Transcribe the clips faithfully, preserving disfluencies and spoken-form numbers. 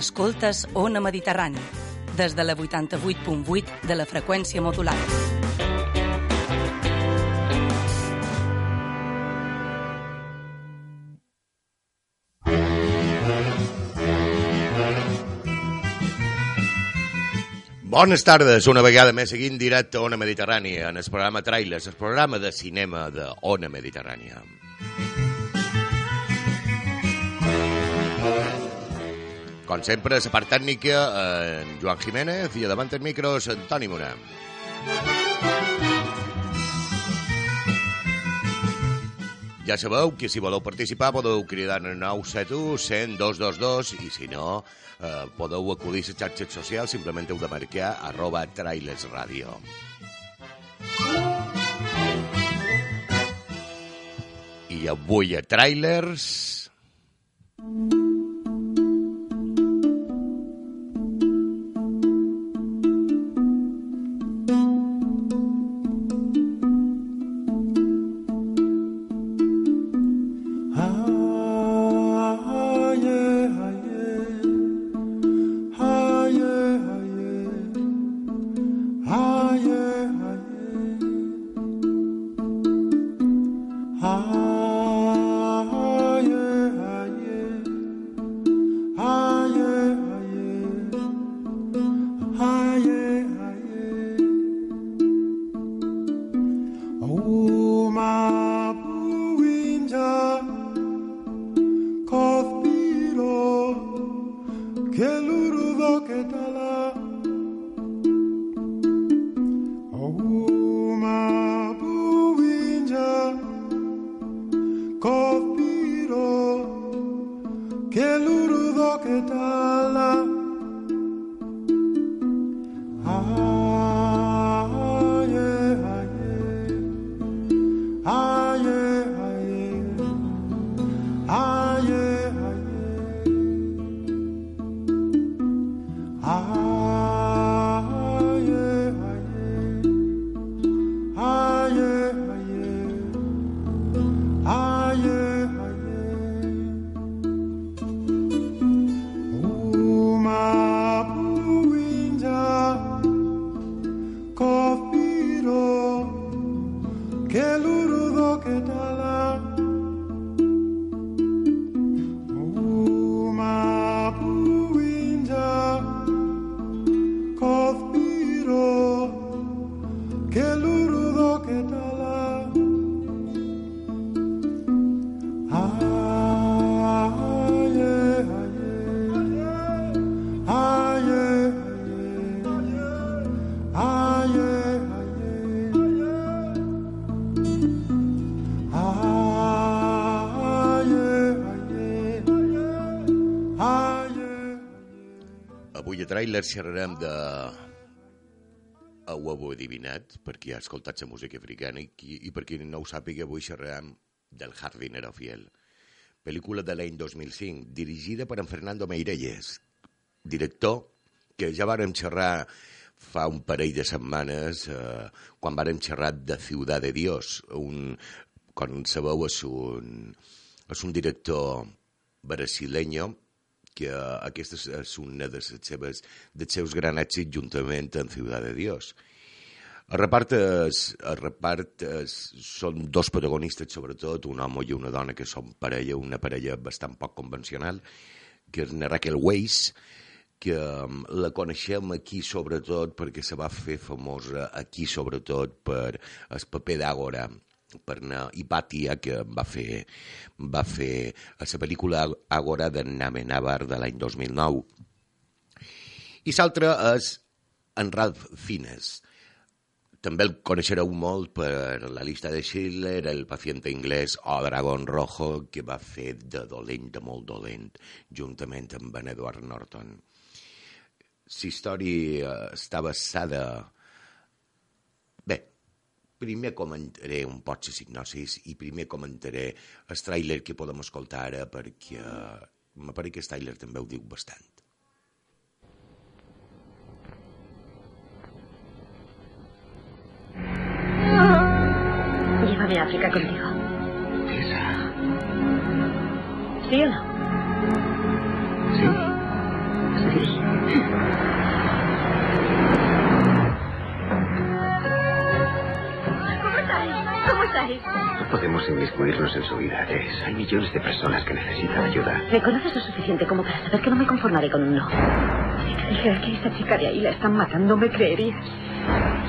Escoltes Ona Mediterrani, des de la vuitanta-vuit punt vuit de la freqüència modulada. Bones tardes, una vegada més seguint directe a Ona Mediterrània, en el programa Trailers, el programa de cinema de Ona Mediterrània. Com sempre, la part tècnica, en Joan Jiménez, i davant el micros, Antoni Morà. Ja sabeu que si voleu participar podeu cridar al nou set u, cent, dos dos dos i si no, eh, podeu acudir a les xarxes socials, simplement heu de marcar arroba Trailers Radio. I avui a Trailers... Trailers xerrarem de... Ho heu adivinat, perquè ha escoltat la música africana i, i per qui no ho sàpiga, avui xerrarem del Jardinero Fiel. Pel·lícula de l'any dos mil cinc, dirigida per en Fernando Meirelles, director que ja vàrem xerrar fa un parell de setmanes, eh, quan vàrem xerrar de Ciudad de Dios. Un, com sabeu, és un, és un director brasileño que aquesta és una de les seves, dels seus grans èxits juntament amb Ciudad de Dios. El repart, és, el repart és, són dos protagonistes, sobretot, un home i una dona que són parella, una parella bastant poc convencional, que és Raquel Weisz, que la coneixem aquí sobretot perquè se va fer famosa aquí sobretot per el paper d'Àgora, per Hipàtia, que va fer, va fer a la pel·lícula Àgora de Amenábar de l'any dos mil nou. I l'altre és en Ralph Fiennes. També el coneixereu molt per La llista de Schindler, El paciente inglès o Dragón Rojo, que va fer de dolent, de molt dolent, juntament amb en Edward Norton. La història està basada... Bé, primer comentaré un poc les hipnosis i primer comentaré el tràiler que podem escoltar ara perquè m'apareix que el tràiler també ho diu bastant. Llévame a África contigo. Esa. ¿Sí o no? Sí. hagáis. No podemos inmiscuirnos en su vida, Jess. Hay millones de personas que necesitan ayuda. Me conoces lo suficiente como para saber que no me conformaré con un no. Si te dijera que esta chica de ahí la están matando, ¿me creerías?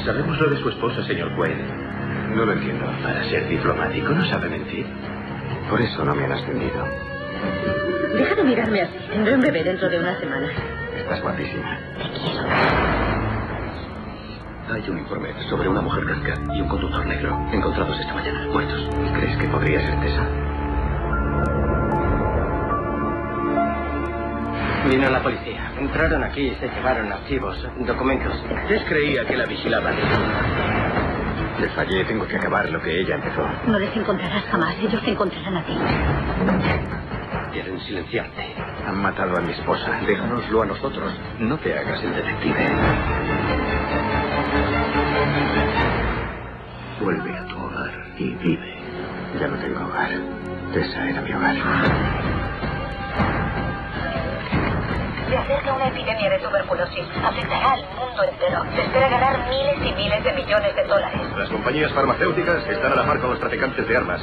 Sabemos lo de su esposa, señor Quaid. No lo entiendo. Para ser diplomático no sabe mentir. Por eso no me han ascendido. Deja de mirarme así. Tendré un bebé dentro de una semana. Estás guapísima. Te quiero. Hay un informe sobre una mujer blanca y un conductor negro encontrados esta mañana, muertos. ¿Crees que podría ser Tessa? Vino la policía. Entraron aquí y se llevaron archivos, documentos. Jess creía que la vigilaban. Le fallé, tengo que acabar lo que ella empezó. No les encontrarás jamás, ellos te encontrarán a ti. Quieren silenciarte. Han matado a mi esposa. Déjanoslo a nosotros. No te hagas el detective. Vuelve a tu hogar y vive. Ya no tengo hogar. Tessa era mi hogar. Se acerca una epidemia de tuberculosis. Afectará al mundo entero. Se espera ganar miles y miles de millones de dólares. Las compañías farmacéuticas están a la par con los traficantes de armas.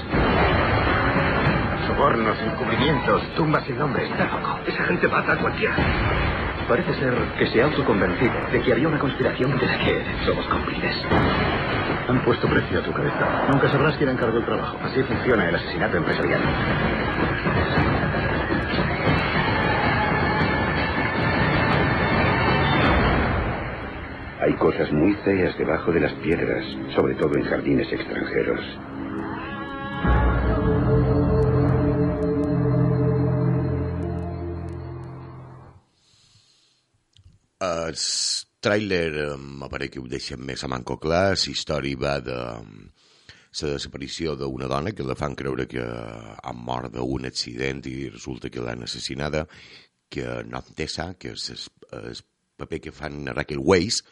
Sobornos, encubrimientos, tumbas sin nombre. Está loco. Esa gente mata a cualquiera. Parece ser que se ha autoconvencido de que había una conspiración de la que somos cómplices. Han puesto precio a tu cabeza. Nunca sabrás quién encargó el trabajo. Así funciona el asesinato empresarial. Hay cosas muy feas debajo de las piedras, sobre todo en jardines extranjeros. El tràiler m'apareix que ho deixen més a manco clar. La història va de la desaparició d'una dona que la fan creure que ha mort d'un accident i resulta que l'han assassinada, que no Tessa, que és el paper que fan Raquel Weisz,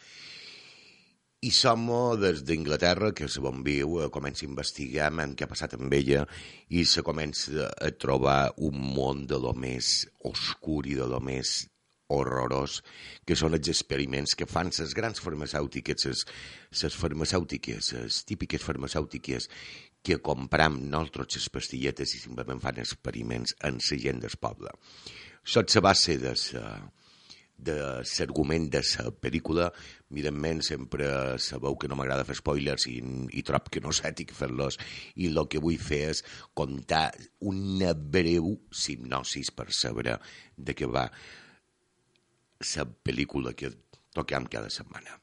i som des d'Inglaterra, que se bon viu, comença a investigar què ha passat amb ella i se comença a trobar un món de lo més oscur i de lo més horrorós, que són els experiments que fan les grans farmacèutiques, les farmacèutiques, les típiques farmacèutiques que compram nosaltres les pastilletes i simplement fan experiments en la gent del poble. Això és la base de de l'argument de la pel·lícula. Evidentment, sempre sabeu que no m'agrada fer spoilers i, i trob que no és ètic fer-los, i el que vull fer és contar una breu hipnosis per saber de què va la pel·lícula que toquem cada setmana.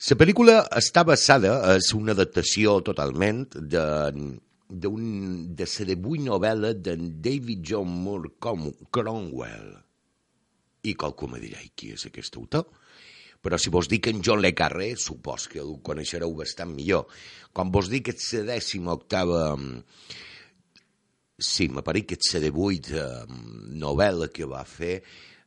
La pel·lícula està basada, és una adaptació totalment de, de, un, de la divuit novel·la d'en David John Moore Cromwell. I qualcú me dirà, qui és aquest autor? Però si vos dic en John le Carré, supos que el coneixereu bastant millor. Quan vos dic que és la dècima octava... Sí, m'apareix que és la divuit novel·la que va fer.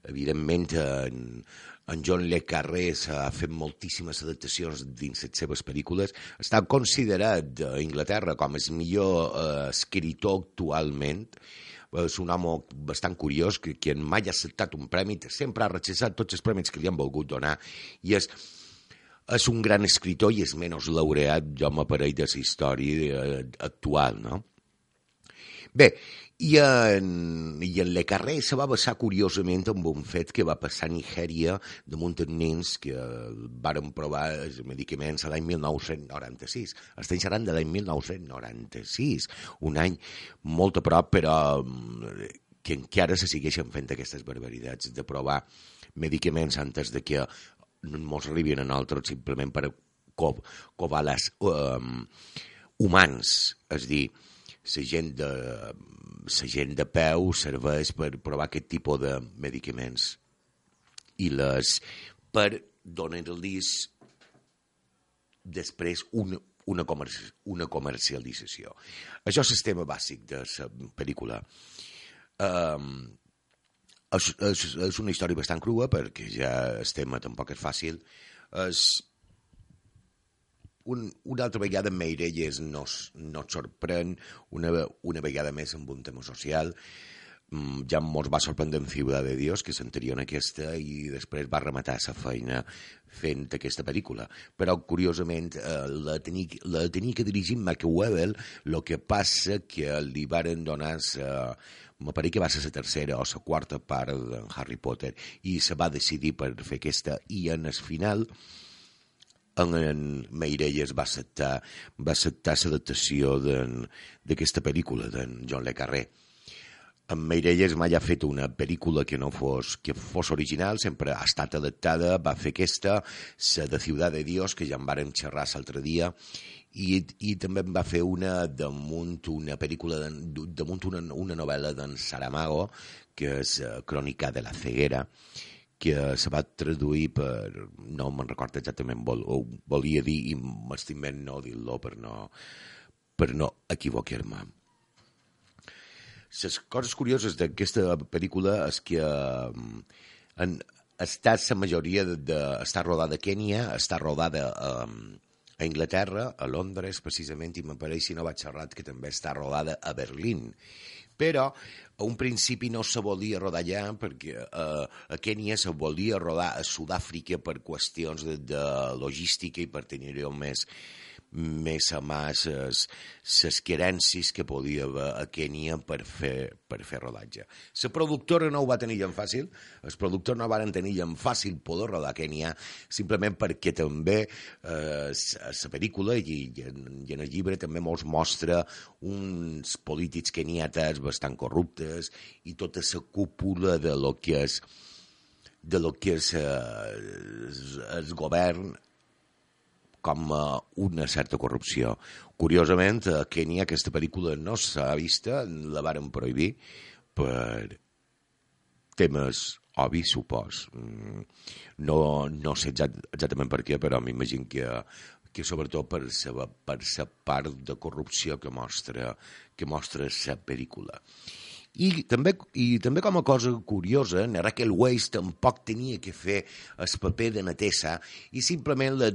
Evidentment, en, en John le Carré ha fet moltíssimes adaptacions dins les seves pel·lícules. Està considerat a Inglaterra com el millor eh, escritor actualment. És un home bastant curiós, que, que mai ha acceptat un premi, sempre ha rechazat tots els premis que li han volgut donar, i és, és un gran escritor i és menys laureat, jo m'aparell de la història actual, no? Bé, i en, i en Le Carré se va basar curiosament en un fet que va passar a Nigèria damunt els nens que varen provar els medicaments l'any mil nou-cents noranta-sis. Estem xerrant de l'any mil nou-cents noranta-sis, un any molt a prop, però que encara se segueixen fent aquestes barbaritats de provar medicaments antes de que ens arribin a nosaltres simplement per co covar les um, humans, és a dir, la gent de la gent de peu serveix per provar aquest tipus de medicaments i les per donar-los després una, una, comerci una comercialització. Això és el tema bàsic de la pel·lícula. Um, és, és, és una història bastant crua perquè ja el tema tampoc és fàcil. És Un, una altra vegada Meirelles no, no et sorprèn, una, una vegada més amb un tema social. ja ens va sorprendre en Ciudad de Dios, que s'anterior en aquesta, i després va rematar la feina fent aquesta pel·lícula. Però, curiosament, eh, la tenia, la tenia que dirigir Michael Webber, el que passa que li varen donar, sa, me pareix que va ser la tercera o la quarta part de Harry Potter, i se va decidir per fer aquesta, i en el final en, en Meirelles va acceptar va acceptar l'adaptació d'aquesta pel·lícula d'en John le Carré. En Meirelles mai ha fet una pel·lícula que no fos, que fos original, sempre ha estat adaptada, va fer aquesta, la de Ciudad de Dios, que ja en vàrem xerrar l'altre dia, i, i també en va fer una damunt una pel·lícula, de, damunt una, una novel·la d'en Saramago, que és Crònica de la ceguera, que se va traduir per... no me'n recordo exactament, vol, volia dir, i m'estimem no dir-lo per no, per no equivocar-me. Les coses curioses d'aquesta pel·lícula és que en, està la majoria de, de, està rodada a Kènia, està rodada a, a Anglaterra, a Londres precisament, i m'apareix, si no vaig errat, que també està rodada a Berlín. Però a un principi no se volia rodar allà perquè eh, a Kènia se volia rodar a Sud-àfrica per qüestions de, de logística i per tenir-ho més més a mà les querències que podia haver a Kènia per fer, per fer rodatge. La productora no ho va tenir en fàcil, els productors no van tenir en fàcil poder rodar a Kènia, simplement perquè també eh, la pel·lícula i, i, en, i en el llibre també mos mostra uns polítics keniates bastant corruptes i tota la cúpula de lo que és de lo que és eh, el govern com una certa corrupció. Curiosament, a Kènia aquesta pel·lícula no s'ha vista, la varen prohibir per temes obvis, supos. No, no sé exactament per què, però m'imagino que, que sobretot per la per part de corrupció que mostra, que mostra la pel·lícula. I també, I també com a cosa curiosa, na Raquel Weisz tampoc tenia que fer el paper de Natessa i simplement la,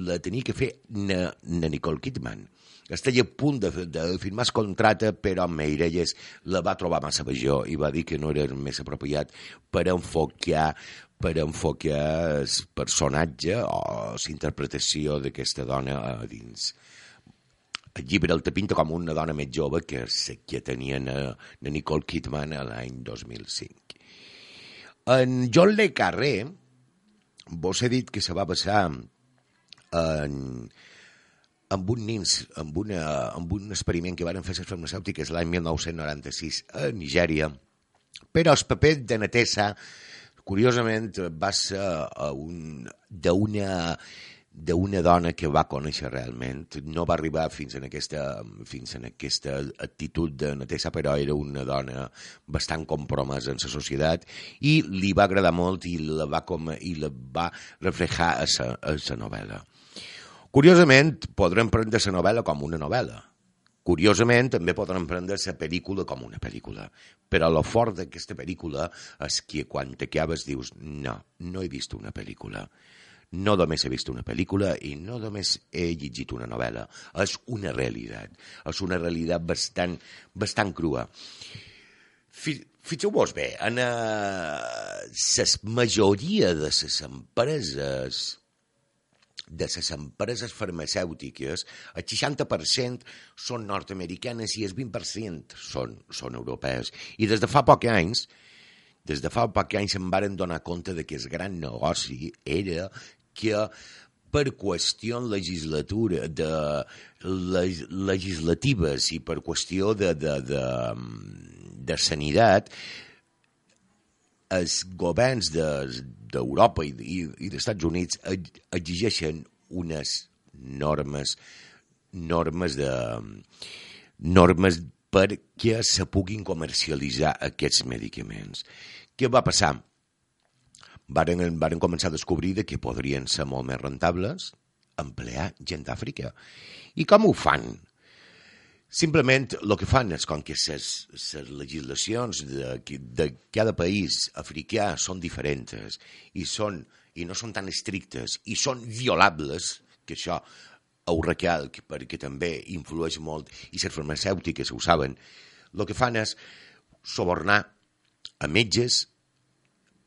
la tenia que fer na, na Nicole Kidman. Estava a punt de, de firmar el contracte, però Meirelles la va trobar massa major i va dir que no era més apropiat per enfocar per enfocar el personatge o la interpretació d'aquesta dona a dins. El llibre el te pinta com una dona més jove que la que tenia na, na Nicole Kidman l'any dos mil cinc. En John le Carré, vos he dit que se va basar en, en un nins, en, una, en un experiment que van fer les farmacèutiques l'any mil nou-cents noranta-sis a Nigèria, però el paper de Natessa, curiosament, va ser un, d'una... d'una dona que va conèixer realment. No va arribar fins en aquesta, fins en aquesta actitud de Natessa, però era una dona bastant compromesa en la societat i li va agradar molt i la va, com, i la va reflejar a la novel·la. Curiosament, podrem prendre la novel·la com una novel·la. Curiosament, també podrem prendre la pel·lícula com una pel·lícula. Però el fort d'aquesta pel·lícula és que quan t'acabes dius no, no he vist una pel·lícula. No només he vist una pel·lícula i no només he llegit una novel·la. És una realitat. És una realitat bastant, bastant crua. Fixeu-vos bé, en la majoria de les empreses de les empreses farmacèutiques, el seixanta per cent són nord-americanes i el vint per cent són, són europees. I des de fa pocs anys, des de fa pocs anys em varen donar compte de que el gran negoci era que per qüestions legislatura, de, leg, legislatives i per qüestió de, de, de, de sanitat, els governs d'Europa de, i, i dels Estats Units exigeixen unes normes, normes, de, normes perquè se puguin comercialitzar aquests medicaments. Què va passar? Varen, varen començar a descobrir que podrien ser molt més rentables emplear gent d'Àfrica. I com ho fan? Simplement el que fan és com que les legislacions de, de cada país africà són diferents i, són, i no són tan estrictes i són violables, que això ho recalc perquè també influeix molt i les farmacèutiques ho saben, el que fan és subornar a metges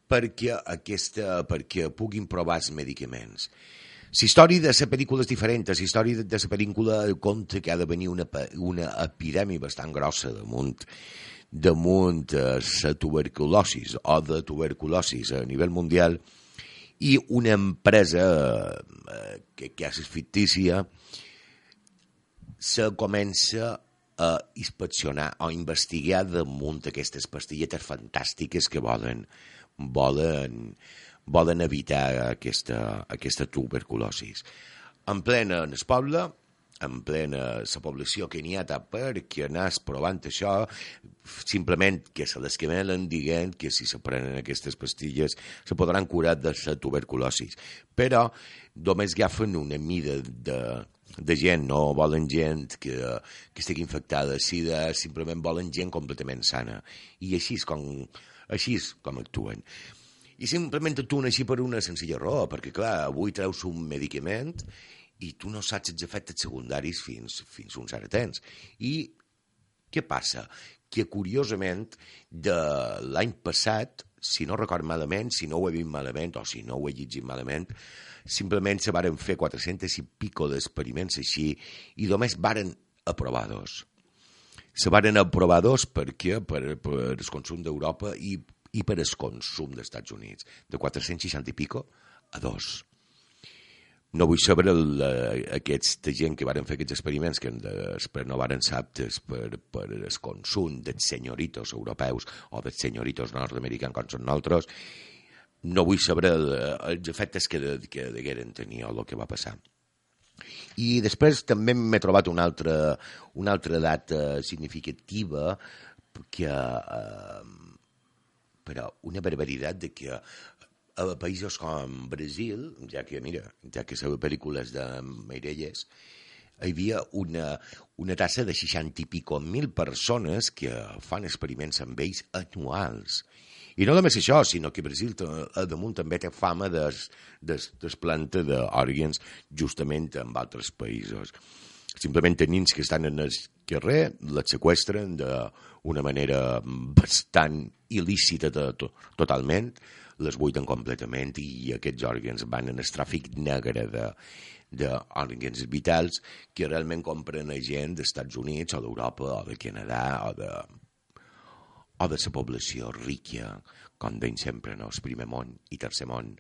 perquè, aquesta, perquè puguin provar els medicaments. La història de la pel·lícula és diferent. La història de la pel·lícula compta que ha de venir una, una epidèmia bastant grossa damunt, damunt la tuberculosi o de tuberculosi a nivell mundial, i una empresa que, que és fictícia se comença a inspeccionar o investigar damunt aquestes pastilletes fantàstiques que volen, volen, volen evitar aquesta, aquesta tuberculosi. En plena en el poble, en plena la població que n'hi ha perquè anàs provant això, simplement que se les quemelen dient que si se prenen aquestes pastilles se podran curar de la tuberculosi. Però només agafen una mida de, de gent, no volen gent que, que estigui infectada de sida, simplement volen gent completament sana. I així és com, així és com actuen. I simplement actuen així per una senzilla raó, perquè clar, avui treus un medicament i tu no saps els efectes secundaris fins, fins un cert temps. I què passa? Que curiosament de l'any passat, si no record malament, si no ho he vist malament o si no ho he llegit malament, simplement se varen fer quatre-cents i pico d'experiments així i només varen aprovar dos. Se varen aprovar dos perquè per, per el consum d'Europa i, i per el consum dels Estats Units. De quatre-cents seixanta i pico a dos. No vull saber el, aquesta gent que varen fer aquests experiments que després no varen ser aptes per, per el consum dels senyoritos europeus o dels senyoritos nord-americans com són nosaltres. No vull saber el, els efectes que, que degueren tenir o el que va passar. I després també m'he trobat una altra, una altra data significativa que, eh, però una barbaritat de que a països com Brasil, ja que, mira, ja que la pel·lícula és de Meirelles, hi havia una, una tassa de seixanta i pico mil persones que fan experiments amb ells anuals. I no només això, sinó que Brasil a damunt també té fama de desplanta d'òrgans justament en altres països. Simplement nens que estan en el carrer les seqüestren d'una manera bastant il·lícita to totalment, les buiden completament i aquests òrgans van en el tràfic negre d'òrgans vitals que realment compren a gent dels Estats Units o d'Europa o de Canadà o de, o de la població rica, com deim sempre, no? El primer món i tercer món.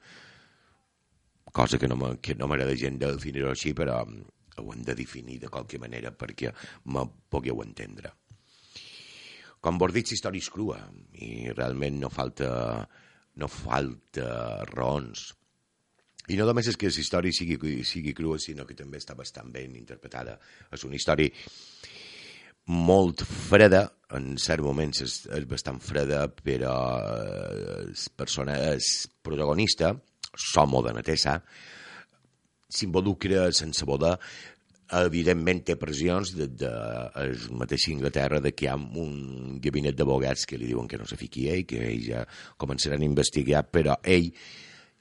Cosa que no m'agrada gent definir-ho així, però ho hem de definir de qualque manera perquè me pugueu entendre. Com vos dic, la història és crua i realment no falta... no falta raons. I no només és que la història sigui, sigui crua, sinó que també està bastant ben interpretada. És una història molt freda, en certs moments és, és bastant freda, però el, persona, el protagonista, Somo de Natessa, s'involucra sense voler. Evidentment té pressions de, de, de la mateixa Inglaterra de que hi ha un gabinet d'advocats que li diuen que no se fiqui ell, que ells ja començaran a investigar, però ell,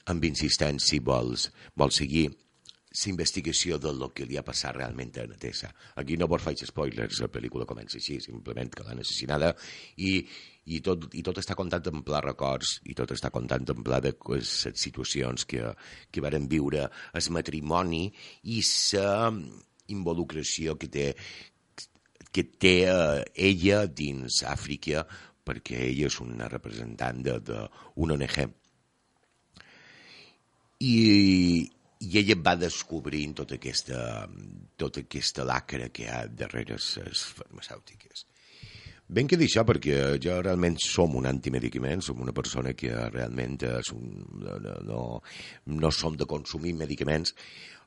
amb insistència, vol, vol seguir la investigació del que li ha passat realment a Natessa. Aquí no vos faig spoilers, la pel·lícula comença així, simplement que l'han assassinada i, i, tot, i tot està contant en pla records i tot està contant en pla de les situacions que, que varen viure el matrimoni i la involucració que té, que té eh, ella dins Àfrica, perquè ella és una representant d'una O N G. I, i ella va descobrint tota aquesta, tota aquesta lacra que hi ha darrere les farmacèutiques. Ben que dir això, perquè jo realment som un antimedicament, som una persona que realment és un, no, no, no som de consumir medicaments.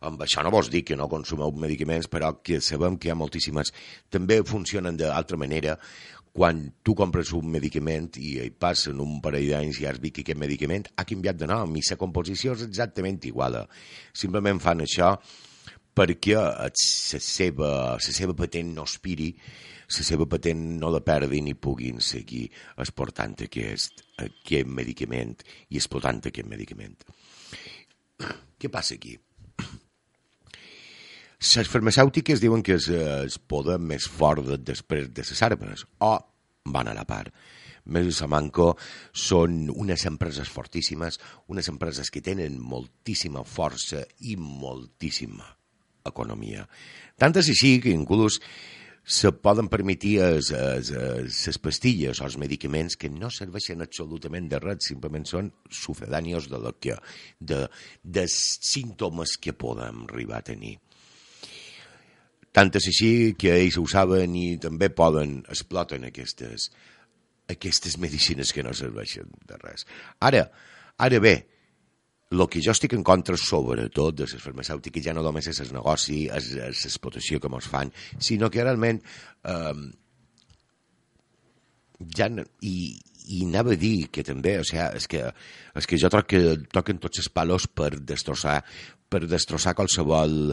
Amb això no vols dir que no consumeu medicaments, però que sabem que hi ha moltíssimes. També funcionen d'altra manera. Quan tu compres un medicament i hi passen un parell d'anys i has vist que aquest medicament ha canviat de nom i la composició és exactament igual. Simplement fan això perquè la seva, la seva patent no aspiri, la seva patent no la perdin i puguin seguir exportant aquest, aquest medicament i explotant aquest medicament. Què passa aquí? Les farmacèutiques diuen que és el poder més fort després de les armes, o van a la part. Mesa Salamanca són unes empreses fortíssimes, unes empreses que tenen moltíssima força i moltíssima economia. Tant és així que inclús se poden permetir les pastilles o els medicaments que no serveixen absolutament de res, simplement són sucedànios de, que, de, de símptomes que podem arribar a tenir. Tant és així que ells ho saben i també poden, exploten aquestes, aquestes medicines que no serveixen de res. Ara, ara bé, el que jo estic en contra, sobretot, de les farmacèutiques, ja no només és el negoci, és l'explotació que ens fan, sinó que realment eh, ja no, i, i anava a dir que també, o sigui, és que, és que jo troc que toquen tots els palos per destrossar, per destrossar qualsevol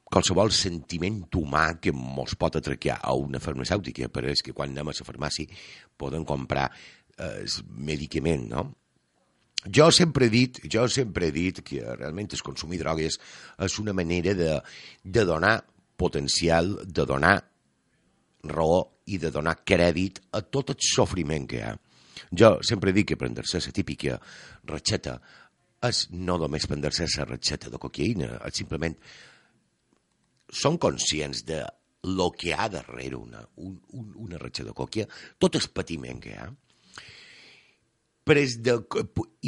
qualsevol sentiment humà que ens pot atracar a una farmacèutica, però és que quan anem a la farmàcia poden comprar eh, medicament, no? Jo sempre he dit, jo sempre he dit que realment el consumir drogues és una manera de, de donar potencial, de donar raó i de donar crèdit a tot el sofriment que hi ha. Jo sempre dic que prendre-se la típica recepta és no només prendre-se la recepta de cocaïna, és simplement són conscients de lo que hi ha darrere una, un, un, una recepta de cocaïna, tot el patiment que hi ha. Però és de,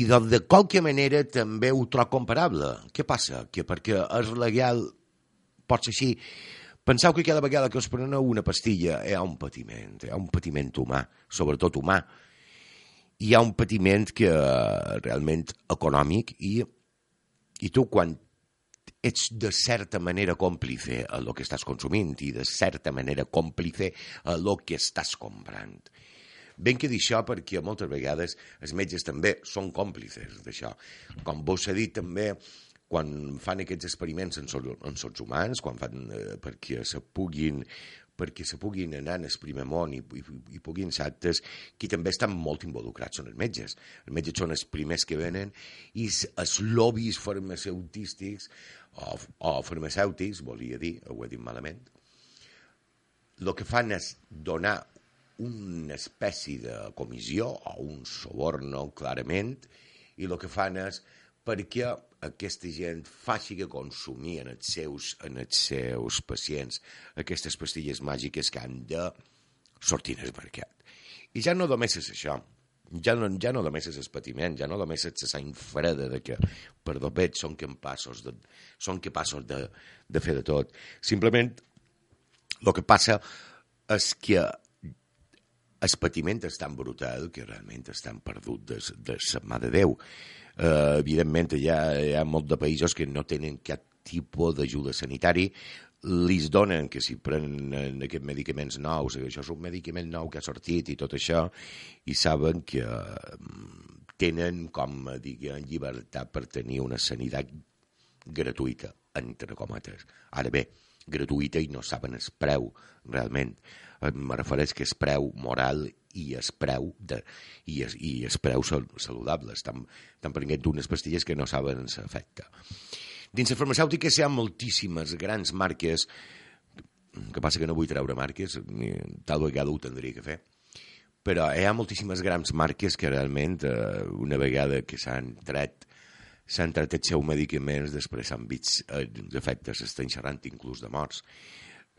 i de, de qualque manera també ho trobo comparable. Què passa? Que perquè és legal, pot ser així. Penseu que cada vegada que us preneu una pastilla hi ha un patiment, hi ha un patiment humà, sobretot humà. Hi ha un patiment que realment econòmic i, i tu quan ets de certa manera còmplice a lo que estàs consumint i de certa manera còmplice a lo que estàs comprant. Ben que dir això perquè moltes vegades els metges també són còmplices d'això. Com vos ha dit també, quan fan aquests experiments en sots humans, quan fan eh, perquè se puguin perquè se puguin anar en el primer món i, i, i puguin ser actes, qui també estan molt involucrats són els metges. Els metges són els primers que venen i els lobbies farmacèutics o, o farmacèutics, volia dir, ho he dit malament, el que fan és donar una espècie de comissió o un soborno, clarament, i el que fan és perquè aquesta gent faci que consumir en els seus, en els seus pacients aquestes pastilles màgiques que han de sortir al mercat. I ja no només és això, ja no, ja no només és el patiment, ja no només és la sang freda de que per dobet són capaços de, són capaços de, de fer de tot. Simplement el que passa és que el patiment és tan brutal que realment estan perdut de, de la mà de Déu. Uh, evidentment, hi ha, hi ha molts de països que no tenen cap tipus d'ajuda sanitari, li donen que si prenen aquests medicaments nous, això és un medicament nou que ha sortit i tot això, i saben que tenen, com diguem, llibertat per tenir una sanitat gratuïta, entre cometes. Ara bé, gratuïta i no saben el preu, realment. Me refereix que és preu moral i és preu, de, i és, i és preu saludable. Estan, estan prenent unes pastilles que no saben l'efecte. Dins les farmacèutiques hi ha moltíssimes grans marques, que passa que no vull treure marques, tal vegada ho tindria que fer, però hi ha moltíssimes grans marques que realment, una vegada que s'han tret s'han tret els seus medicaments, després s'han vist els efectes, estan xerrant inclús de morts.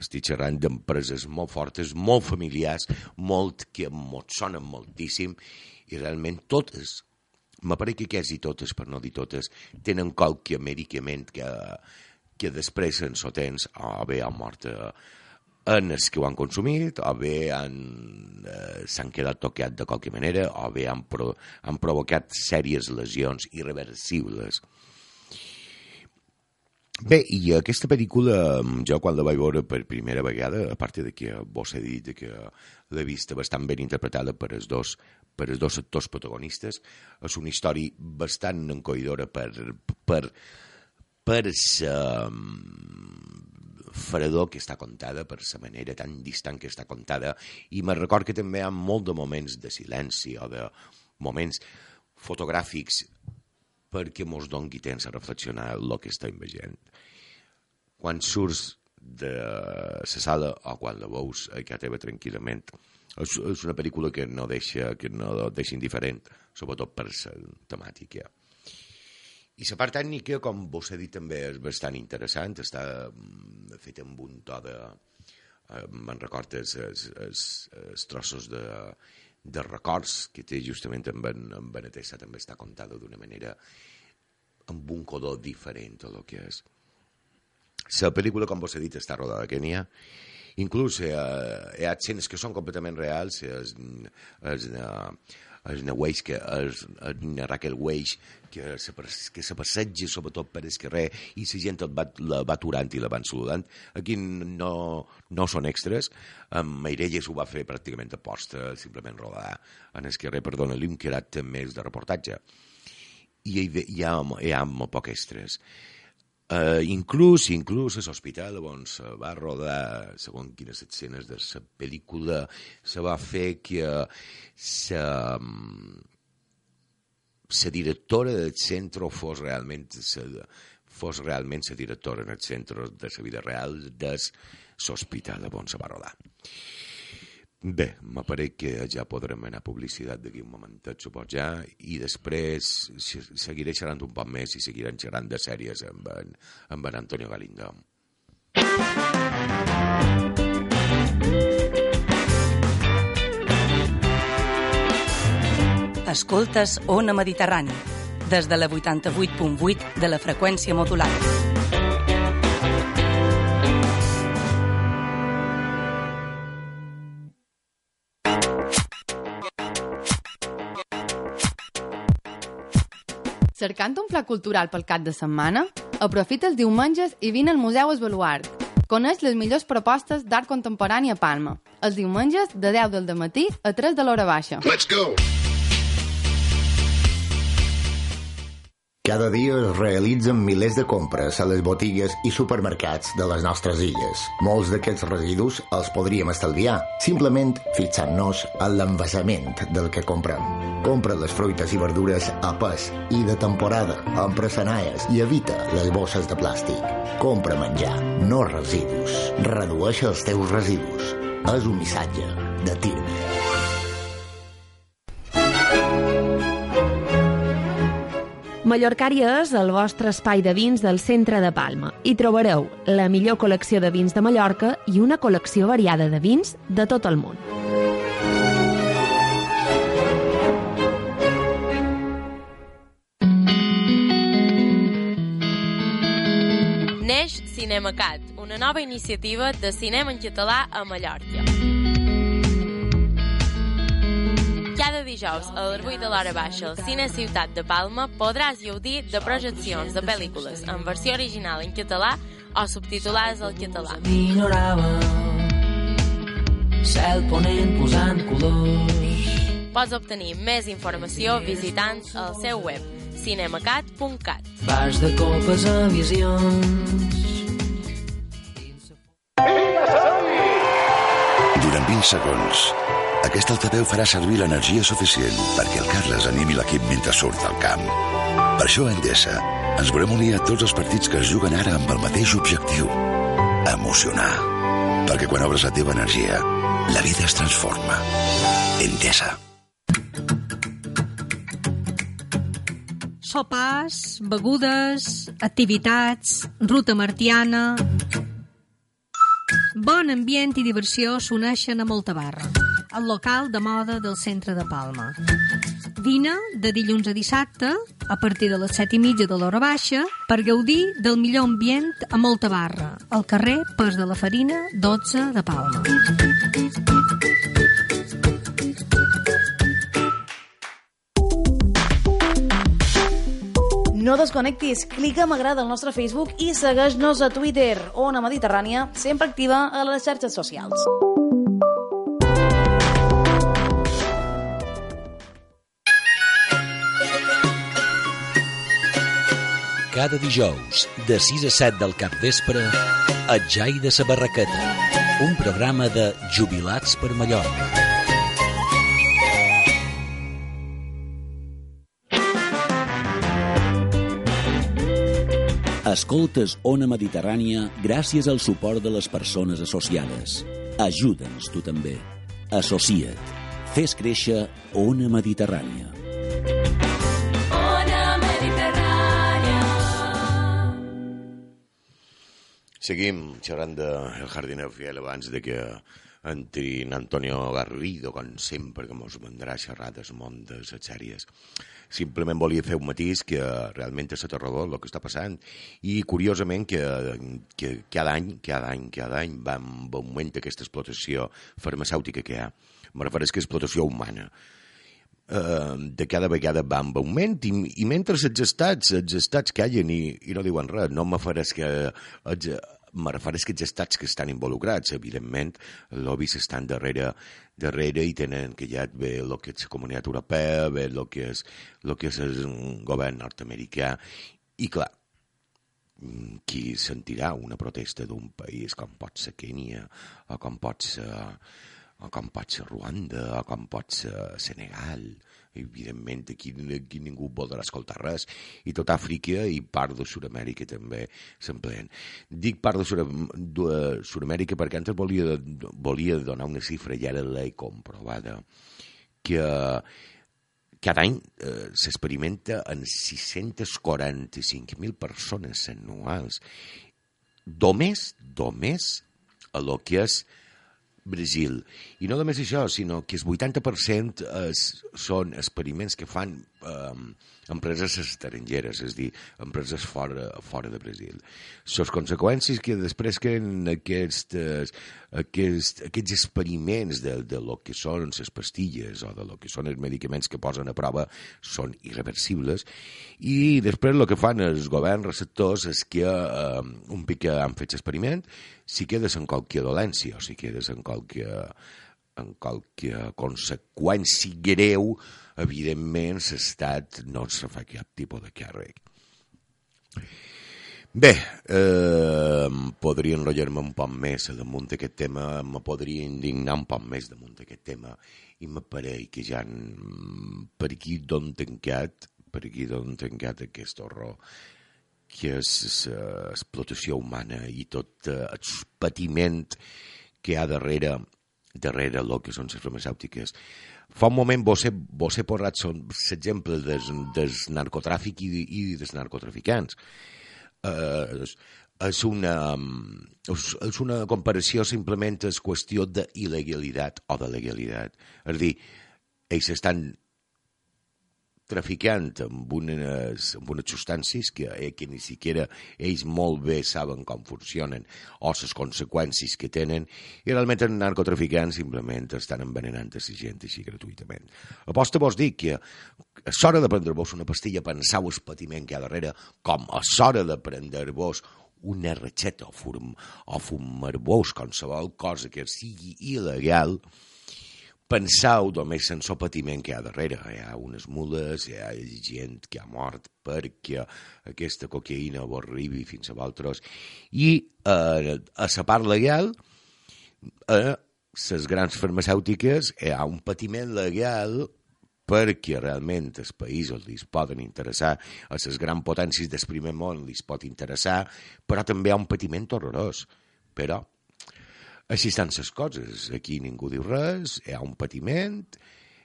Estic xerrant d'empreses molt fortes, molt familiars, molt que mos sonen moltíssim, i realment totes, m'apareix que quasi totes, per no dir totes, tenen qualque medicament que, que després en sotens o bé han mort en els que ho han consumit, o bé han, eh, s'han quedat tocats de qualque manera, o bé han, pro, han provocat sèries lesions irreversibles. Bé, i aquesta pel·lícula, jo quan la vaig veure per primera vegada, a part de que vos he dit que l'he vista bastant ben interpretada per els dos, per els dos actors protagonistes, és una història bastant encoïdora per, per, per la fredor que està contada, per la manera tan distant que està contada, i me record que també hi ha molt de moments de silenci o de moments fotogràfics perquè mos doni temps a reflexionar el que estem veient. Quan surts de la sala o quan la veus a casa teva tranquil·lament és, és una pel·lícula que no deixa, que no deixa indiferent, sobretot per la temàtica. I la part tècnica, com vos he dit, també és bastant interessant, està feta amb un to de... me'n recordo els, els, els, els trossos de, de records que té justament amb en, amb en Atessa, també està contada d'una manera amb un color diferent a lo que és. La pel·lícula, com vos he dit, està rodada a Kènia. Inclús eh, hi ha escenes que són completament reals. És, és, és una Weiss, que és una Raquel Weiss, que se, que se passeja sobretot per el carrer i la gent va, la va aturant i la van saludant. Aquí no, no són extras. Amb Meirelles ho va fer pràcticament a posta, simplement rodar en el carrer per donar-li un caràcter més de reportatge. I hi, hi, ha, hi ha molt poc extras. Uh, inclús, inclús a l'hospital on se va rodar, segons quines escenes de la pel·lícula, se va fer que la directora del centre fos realment la, fos realment la directora en el centre de la vida real de l'hospital on se va rodar. Bé, m'apareix que ja podrem anar a publicitat d'aquí un momentet, supos ja, i després seguiré xerrant un poc més i seguirem xerrant de sèries amb en, amb en Antonio Galindo. Escoltes Ona Mediterrani, des de la vuitanta-vuit punt vuit de la freqüència modulada. Cercant un pla cultural pel cap de setmana? Aprofita els diumenges i vine al Museu Es Baluart. Coneix les millors propostes d'art contemporani a Palma. Els diumenges de deu del dematí a tres de l'hora baixa. Let's go! Cada dia es realitzen milers de compres a les botigues i supermercats de les nostres illes. Molts d'aquests residus els podríem estalviar, simplement fixant-nos en l'envasament del que comprem. Compra les fruites i verdures a pes i de temporada, empra sanaies i evita les bosses de plàstic. Compra menjar, no residus. Redueix els teus residus. És un missatge de Tirme. Mallorcària és el vostre espai de vins del centre de Palma. Hi trobareu la millor col·lecció de vins de Mallorca i una col·lecció variada de vins de tot el món. Neix CinemaCat, una nova iniciativa de cinema en català a Mallorca. Cada dijous a les vuit de l'hora baixa al Cine Ciutat de Palma podràs gaudir de projeccions de pel·lícules en versió original en català o subtitulades al català. Cel ponent posant colors. Pots obtenir més informació visitant el seu web cinemacat punt cat. Vas de copes a visions. Durant vint segons, aquest altaveu farà servir l'energia suficient perquè el Carles animi l'equip mentre surt al camp. Per això a Endesa ens volem unir a tots els partits que es juguen ara amb el mateix objectiu: emocionar. Perquè quan obres la teva energia, la vida es transforma. Endesa. Sopars, begudes, activitats, ruta martiana... Bon ambient i diversió s'uneixen a Moltabarra, el local de moda del centre de Palma. Vine de dilluns a dissabte, a partir de les set i mitja de l'hora baixa, per gaudir del millor ambient a Moltabarra, al carrer Pas de la Farina, dotze de Palma. No desconnectis, clica m'agrada al nostre Facebook i segueix-nos a Twitter, Ona Mediterrània, sempre activa a les xarxes socials. Cada dijous, de sis a set del capvespre, El Jai de sa Barraqueta, un programa de Jubilats per Mallorca. Escoltes Ona Mediterrània gràcies al suport de les persones associades. Ajuda'ns tu també. Associa't. Fes créixer Ona Mediterrània. Ona Mediterrània. Seguim xerrant del Jardinero Fiel abans de que entri en Antonio Garrido, com sempre, que mos vendrà a xerrar del món de les sèries. Simplement volia fer un matís que realment és aterrador el que està passant i curiosament que, que cada any, cada any, cada any va en augment aquesta explotació farmacèutica que hi ha. Me refereix que explotació humana. Uh, de cada vegada va en augment i, i mentre els estats, els estats callen i, i no diuen res, no me faràs que els, me refereix que els estats que estan involucrats, evidentment, els lobbies estan darrere, darrere i tenen que ja ve el que és la Comunitat Europea, ve el que és, el que és el govern nord-americà, i clar, qui sentirà una protesta d'un país com pot ser Kènia, o com pot ser, o com pot ser Ruanda, o com pot ser Senegal. Evidentment aquí, aquí ningú voldrà escoltar res, i tot Àfrica i part de Sud-amèrica també s'empleen. Dic part de Sud-amèrica perquè antes volia, volia donar una xifra i ara l'he comprovada, que cada any eh, s'experimenta en sis-cents quaranta-cinc mil persones anuals, només, només a lo que és Brasil. I no només això, sinó que el vuitanta per cent es, són experiments que fan eh, empreses estrangeres, és a dir, empreses fora, fora de Brasil. Les conseqüències que després que aquests, aquests, aquests experiments de, de lo que són les pastilles o de lo que són els medicaments que posen a prova són irreversibles, i després el que fan els governs receptors és que eh, un pic que han fet l'experiment, si quedes en qualque dolència o si quedes en qualque, en qualque conseqüència greu, evidentment l'estat no se fa cap tipus de càrrec. Bé, eh, podria enrotllar-me un poc més damunt d'aquest tema, me podria indignar un poc més damunt d'aquest tema, i m'apareix que ja per aquí d'on tancat, per aquí d'on tancat aquest horror, que és l'explotació humana i tot el patiment que hi ha darrere, darrere el que són les farmacèutiques. Fa un moment vos he, vos he posat l'exemple del, del narcotràfic i, i dels narcotraficants. Uh, és, una, és, és una comparació, simplement és qüestió d'il·legalitat o de legalitat. És a dir, ells estan traficant amb unes, amb unes substàncies que, eh, que ni siquiera ells molt bé saben com funcionen o les conseqüències que tenen, i realment els narcotraficants simplement estan envenenant a la gent així gratuïtament. Aposta vos dic que és hora de prendre-vos una pastilla, pensau el patiment que hi ha darrere, com és hora de prendre-vos una ratxeta o, fum, o fumar-vos qualsevol cosa que sigui il·legal. Pensau només en el patiment que hi ha darrere. Hi ha unes mules, hi ha gent que ha mort perquè aquesta cocaïna vos arribi fins a vosaltres. I eh, a la part legal, a les grans farmacèutiques hi ha un patiment legal perquè realment els països li poden interessar, a les grans potències del primer món li pot interessar, però també hi ha un patiment horrorós. Però així estan les coses, aquí ningú diu res, hi ha un patiment,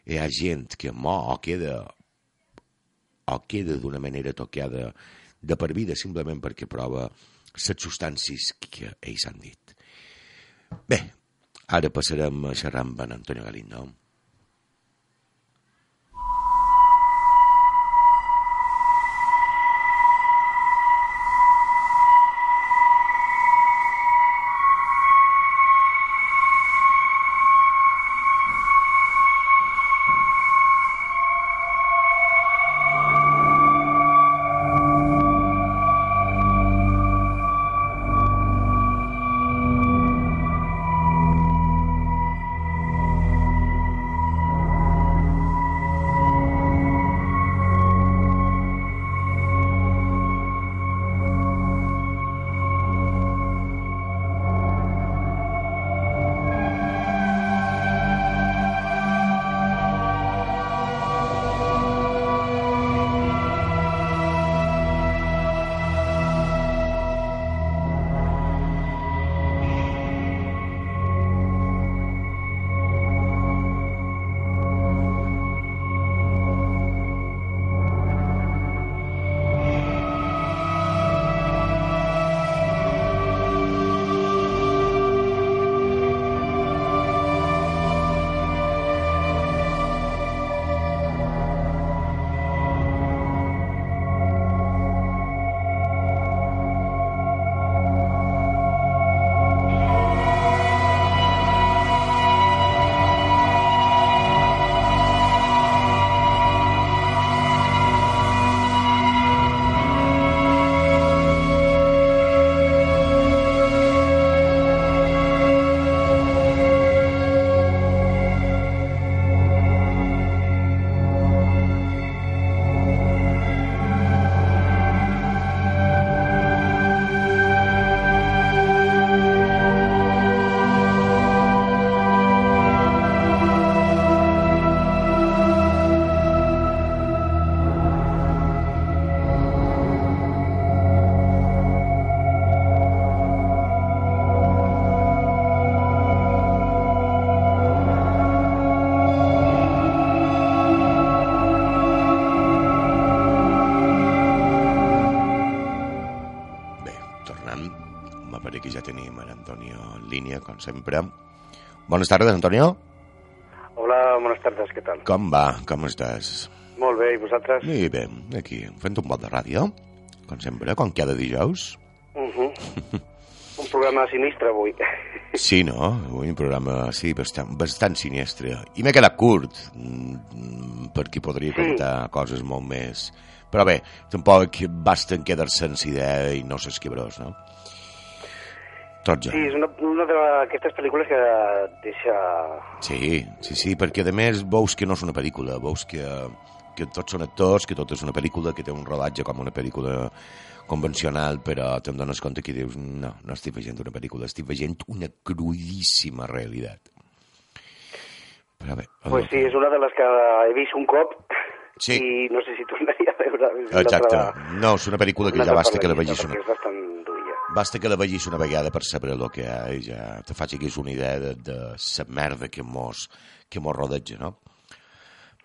hi ha gent que mor o queda, o queda d'una manera tocada de per vida simplement perquè prova les substàncies que ells han dit. Bé, ara passarem a xerrar amb en Antonio Galindo. sembla que ja tenim l'Antonio en línia, com sempre. Bones tardes, Antonio. Hola, bones tardes, què tal? Com va? Com estàs? Molt bé, i vosaltres? I bé, aquí, fent un pot de ràdio, com sempre, com cada dijous. Uh -huh. Un programa sinistre avui. Sí, no? Avui un programa, sí, bastant, bastant sinistre. I m'he quedat curt, perquè podria sí. contar coses molt més. Però bé, tampoc basten quedar-se en idea i no s'esquibrós, no? Tot ja. Sí, és una, una d'aquestes pel·lícules que deixa... Sí, sí, sí, perquè a més veus que no és una pel·lícula, veus que, que tots són actors, que tot és una pel·lícula, que té un rodatge com una pel·lícula convencional, però te'n dones compte que dius, no, no estic veient una pel·lícula, estic veient una crudíssima realitat. Però bé... Pues sí, és una de les que he vist un cop sí. i no sé si tornaria a veure. Exacte. No, és una pel·lícula que ja basta que la vegis una... És bastant duia. Basta que la vegis una vegada per saber el que hi ha i ja te facis una idea de, de la merda que mos, que mos rodeja, no?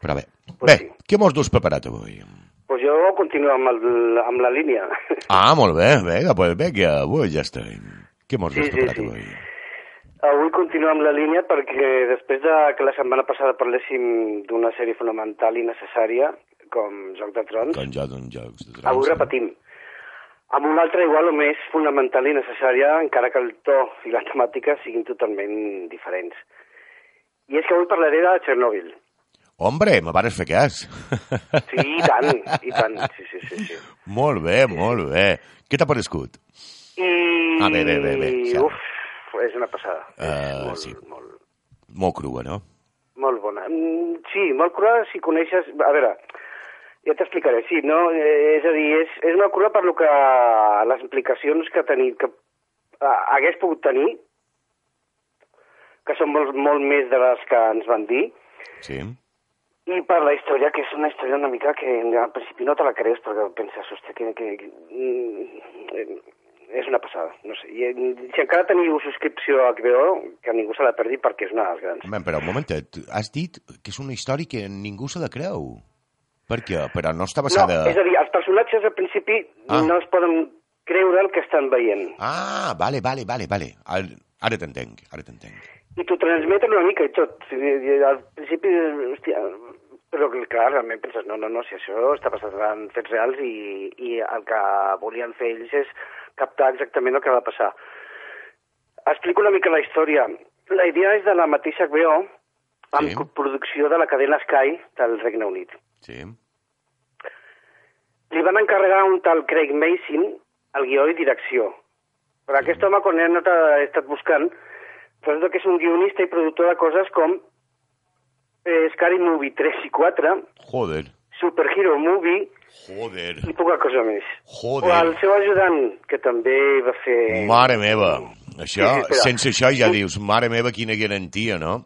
Però bé, pues bé, sí. Què mos dus preparat avui? Pues jo continuo amb, el, amb la línia. Ah, molt bé, vinga, pues vinga, avui ja estem. Què mos dus sí, preparat sí, sí. avui? Avui continuo amb la línia perquè després de que la setmana passada parléssim d'una sèrie fonamental i necessària, com Joc de Trons, com Joc de Trons, avui repetim. Amb una altra igual o més fonamental i necessària, encara que el to i la temàtica siguin totalment diferents. I és que avui parlaré de Chernobyl. Hombre, me vares fer cas. Sí, i tant, i tant, sí, sí, sí. sí. Molt bé, molt bé. Què t'ha parescut? I... Ah, bé, bé, bé, bé. Sí. Uf, és una passada. Uh, és molt, sí. molt... molt crua, no? Molt bona. Sí, molt crua si coneixes... A veure, ja t'explicaré, sí, no? És a dir, és, és una crua per lo que les implicacions que, tenir, que hagués pogut tenir, que són molt, molt més de les que ens van dir, sí. I per la història, que és una història una mica que al principi no te la creus perquè penses, hòstia, que, que, que és una passada, no sé. I, si encara teniu subscripció a H B O, que ningú se la perdi perquè és una de les grans. Ben, però un momentet, has dit que és una història que ningú se la creu. Per què? Però no està basada... No, és a dir, els personatges al principi ah. no es poden creure el que estan veient. Ah, vale, vale, vale, vale. Ara t'entenc, ara t'entenc. I t'ho transmeten una mica i tot. Al principi, hòstia, però clar, realment penses, no, no, no, si això està passant en fets reals i, i el que volien fer ells és captar exactament el que va passar. Explico una mica la història. La idea és de la mateixa H B O, amb sí. producció de la cadena Sky del Regne Unit. Sí. Li van encarregar un tal Craig Mazin el guió i direcció. Però aquest home, quan he estat buscant, resulta que és un guionista i productor de coses com eh, Scary Movie tres i quatre, Joder. Superhero Movie, Joder. I poca cosa més. Joder. O el seu ajudant, que també va fer... Mare meva. Això, sí, sí, sense això ja dius, mare meva, quina garantia, no?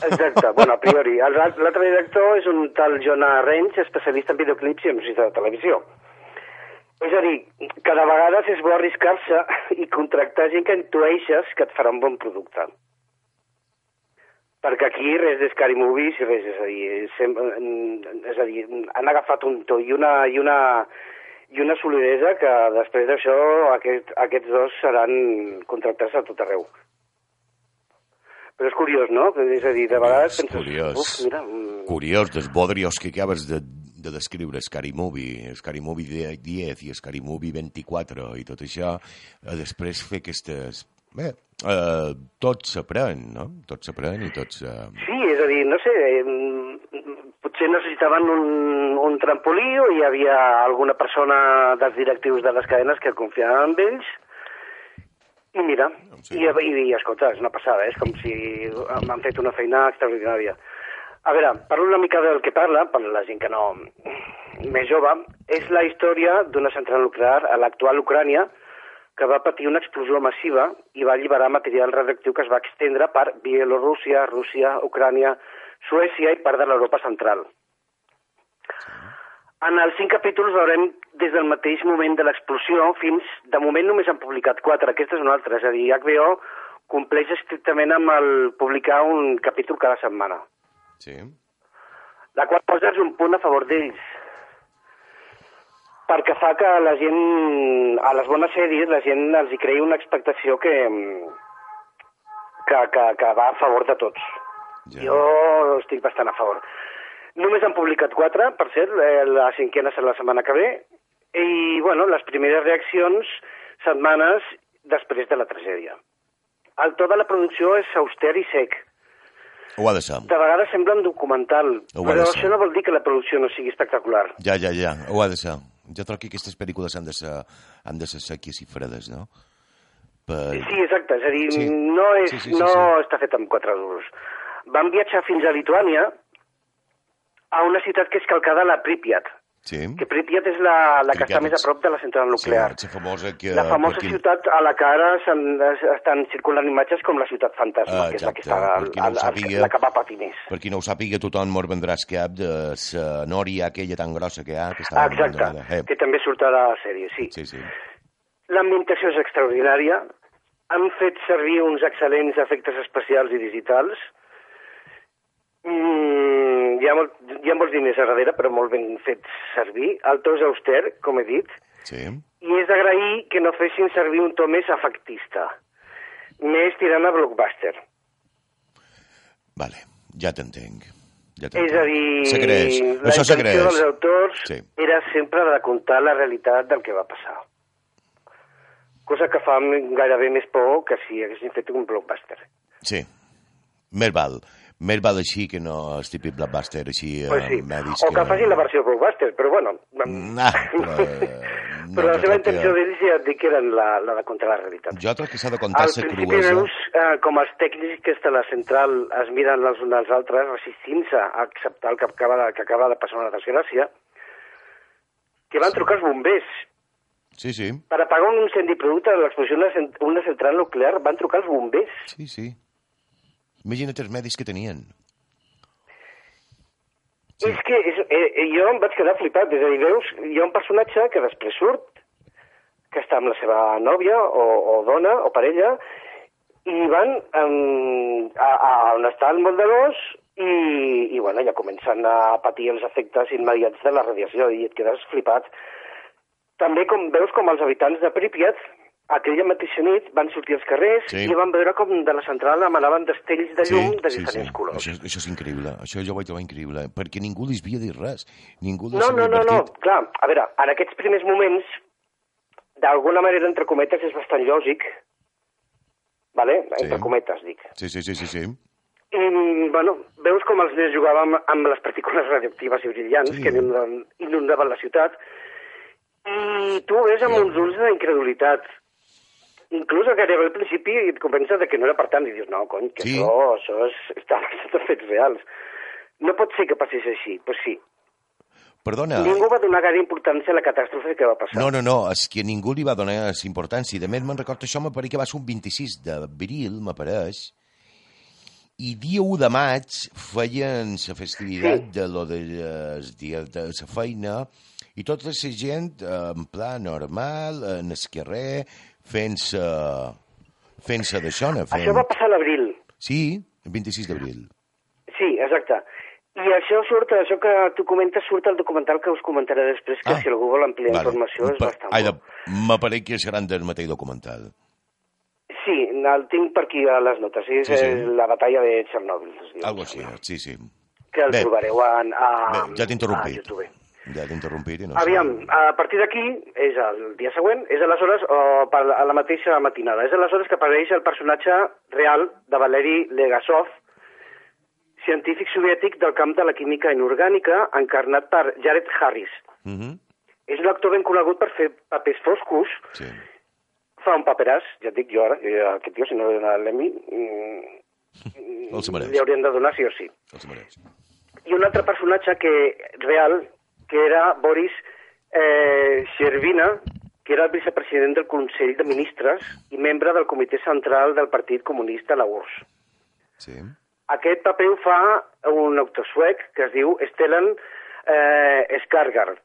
Exacte, bueno, a priori. L'altre director és un tal Jonah Range, especialista en videoclips i en música de televisió. És a dir, cada vegada és bo arriscar-se i contractar gent que intueixes que et farà un bon producte. Perquè aquí res de Scary Movies i res, és a dir, sempre, és a dir, han agafat un to i una, i una, i una solidesa que després d'això aquest, aquests dos seran contractats a tot arreu. Però és curiós, no? És a dir, de vegades penses... Curiós, uf, mira, curiós, dels bodrios que acabes de, de descriure, Scary Movie, Scary Movie diez i Scary Movie vint-i-quatre i tot això, després fer aquestes... Bé, eh, tot s'aprèn, no? Tot s'aprèn i tots... Eh... Sí, és a dir, no sé, eh, potser necessitaven un, un trampolí o hi havia alguna persona dels directius de les cadenes que confiaven en ells. I mira, sí. i, i, i escolta, és una passada, és com si m'han fet una feina extraordinària. A veure, parlo una mica del que parla, per la gent que no... més jove, és la història d'una central nuclear a l'actual Ucrània que va patir una explosió massiva i va alliberar material radioactiu que es va extendre per Bielorússia, Rússia, Ucrània, Suècia i part de l'Europa central. En els cinc capítols veurem des del mateix moment de l'explosió fins... De moment només han publicat quatre, aquesta és una altra, és a dir, H B O compleix estrictament amb el publicar un capítol cada setmana. Sí. La qual cosa és un punt a favor d'ells. perquè fa que la gent, a les bones sèries, la gent els hi creï una expectació que, que, que, que va a favor de tots. Ja. Jo estic bastant a favor. Només han publicat quatre, per cert, la cinquena serà la setmana que ve, i, bueno, les primeres reaccions, setmanes després de la tragèdia. El to de la producció és auster i sec. Ho ha de ser. De vegades sembla un documental, però això no vol dir que la producció no sigui espectacular. Ja, ja, ja, ho ha de ser. Jo trobo que aquestes pel·lícules han de ser, han de ser seques i fredes, no? Per... Sí, exacte, és a dir, sí. no, és, sí, sí, sí, no sí. està fet amb quatre duros. Van viatjar fins a Lituània, a una ciutat que és calcada a la Pripyat. Sí. Que Pripyat és la, la que està més a prop de la central nuclear. Sí, la famosa, que, la famosa perquè... ciutat a la que ara estan circulant imatges com la ciutat fantasma, uh, que és la que està a, no a, sàpiga, la que va patir més. Per qui no ho sàpiga, tothom mos vendràs cap de la nòria aquella tan grossa que hi ha. Que està exacte, eh. que també surt a la sèrie, sí. sí, sí. L'ambientació és extraordinària. Han fet servir uns excel·lents efectes especials i digitals. Mm, hi, ha molt, hi ha molts diners a darrere, però molt ben fets servir. El to és auster, com he dit, sí. i és d'agrair que no fessin servir un to més efectista, més tirant a blockbuster. Vale, ja t'entenc. Ja és a dir, s'agraeix. la Això intenció dels autors sí. era sempre de contar la realitat del que va passar. Cosa que fa gairebé més por que si haguessin fet un blockbuster. Sí, més val. Més val així que no el típic blockbuster així pues sí. eh, mèdics. O que, que facin la versió blockbuster, però bueno. Nah, però no, però la seva intenció que... d'ells ja et dic que eren la, la de contra la realitat. Jo crec que s'ha de contar la cruesa. Al principi veus eh, com els tècnics de la central es miren els uns als altres resistint-se a acceptar el que acaba, de, que acaba de passar una desgràcia, que van trucar els bombers. Sí, sí. Per apagar un incendi producte de l'explosió d'una central nuclear van trucar els bombers. Sí, sí. Imagina't els medis que tenien. Sí. És que és, eh, jo em vaig quedar flipat. És a dir, veus, hi ha un personatge que després surt, que està amb la seva nòvia, o, o dona, o parella, i van um, a, a on està el moldadors i, i bueno, ja comencen a patir els efectes immediats de la radiació i et quedes flipat. També com veus com els habitants de Pripyat aquella mateixa nit van sortir als carrers sí. i van veure com de la central emanaven destells de llum sí, de diferents sí, sí. colors. Això, això és increïble, això jo ho vaig trobar increïble, perquè ningú li havia dit res. Ningú no, no, no, no, clar, a veure, en aquests primers moments, d'alguna manera, entre cometes, és bastant lògic, vale? Entre sí. cometes, dic. Sí, sí, sí, sí, sí. I, bueno, veus com els nens jugaven amb, amb les partícules radioactives i brillants sí. que inundaven, inundaven la ciutat, i tu ves amb sí. uns ulls d'incredulitat. Inclús gairebé al principi et convences de que no era per tant i dius, no, cony, que sí. això, això és, està basat en fets reals. No pot ser que passés així, doncs pues sí. Perdona. Ningú va donar gaire importància a la catàstrofe que va passar. No, no, no, és que ningú li va donar importància. De més, me'n recordo això, m'apareix que va ser un vint-i-sis d'abril, m'apareix, i dia u de maig feien la festivitat sí. de lo de les dies de la feina i tota la gent en pla normal, en el carrer, fent-se fent-se d'això. Fent... Això va passar a l'abril. Sí, el vint-i-sis d'abril. Sí, exacte. I això surt, això que tu comentes, surt al documental que us comentaré després, que ah, si algú vol ampliar vale. informació és pa, bastant bo. M'apareix que seran del mateix documental. Sí, el tinc per aquí a les notes. És sí, sí. la batalla de Txernòbil. Algo així, sí, sí. Que el Bé. trobareu a, a, Bé, ja t'he interrompit. a YouTube. Ja t'he interrompit i no Aviam, sé. A partir d'aquí, és el dia següent, és aleshores, o per a la mateixa matinada, és aleshores que apareix el personatge real de Valeri Legasov, científic soviètic del camp de la química inorgànica, encarnat per Jared Harris. Uh -huh. És un actor ben conegut per fer papers foscos. Sí. Fa un paperàs, ja et dic jo ara, aquest tio, si no li dona l'Emmy, li haurien de donar sí o sí. Els mereix. I un altre personatge que real, que era Boris eh, Shervina, que era el vicepresident del Consell de Ministres i membre del Comitè Central del Partit Comunista a la U R S S. Sí. Aquest paper ho fa un actor suec que es diu Stellan eh, Skarsgård.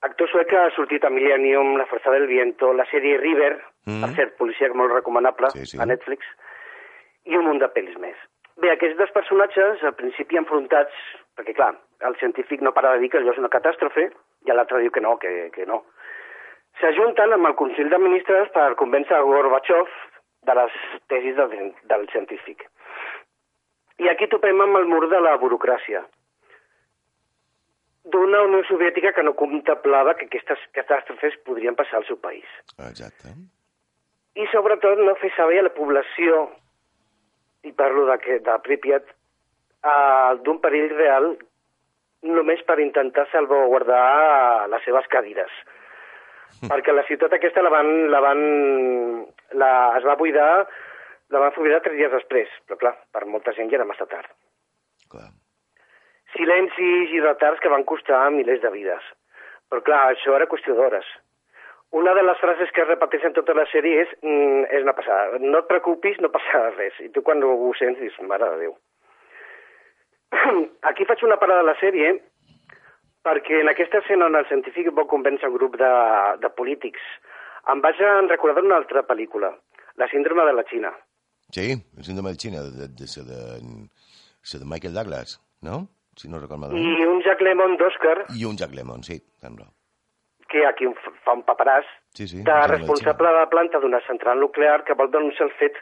Actor suec que ha sortit a Millennium, La Fuerza del Viento, la sèrie River, mm. per cert, policia molt recomanable, sí, sí. a Netflix, i un munt de pel·lis més. Bé, aquests dos personatges, al principi enfrontats, perquè clar, el científic no para de dir que allò és una catàstrofe, i l'altre diu que no, que, que no. s'ajunten amb el Consell de Ministres per convèncer Gorbachev de les tesis del, del científic. I aquí topem amb el mur de la burocràcia d'una Unió Soviètica que no contemplava que aquestes catàstrofes podrien passar al seu país. Exacte. I sobretot no fer saber a la població, i parlo de, de Pripyat, uh, d'un perill real només per intentar salvaguardar les seves cadires. Perquè la ciutat aquesta la van, la van, la, es va buidar, la van buidar tres dies després, però clar, per molta gent ja era massa tard. Clar. Silencis i retards que van costar milers de vides. Però clar, això era qüestió d'hores. Una de les frases que es repeteixen tota la sèrie és, mm, és una passada. No et preocupis, no passarà res. I tu quan ho sents dius, mare de Déu. Aquí faig una parada de la sèrie perquè en aquesta escena on el científic vol convèncer un grup de, de polítics em vaig a recordar una altra pel·lícula, La síndrome de la Xina. Sí, la síndrome de la Xina, de, de, de, de, de, de Michael Douglas, no? Si no recordo malament. I un Jack Lemmon d'Oscar. I un Jack Lemmon, sí, sembla. Que aquí fa un paperàs sí, sí, de responsable de la planta d'una central nuclear que vol denunciar el fet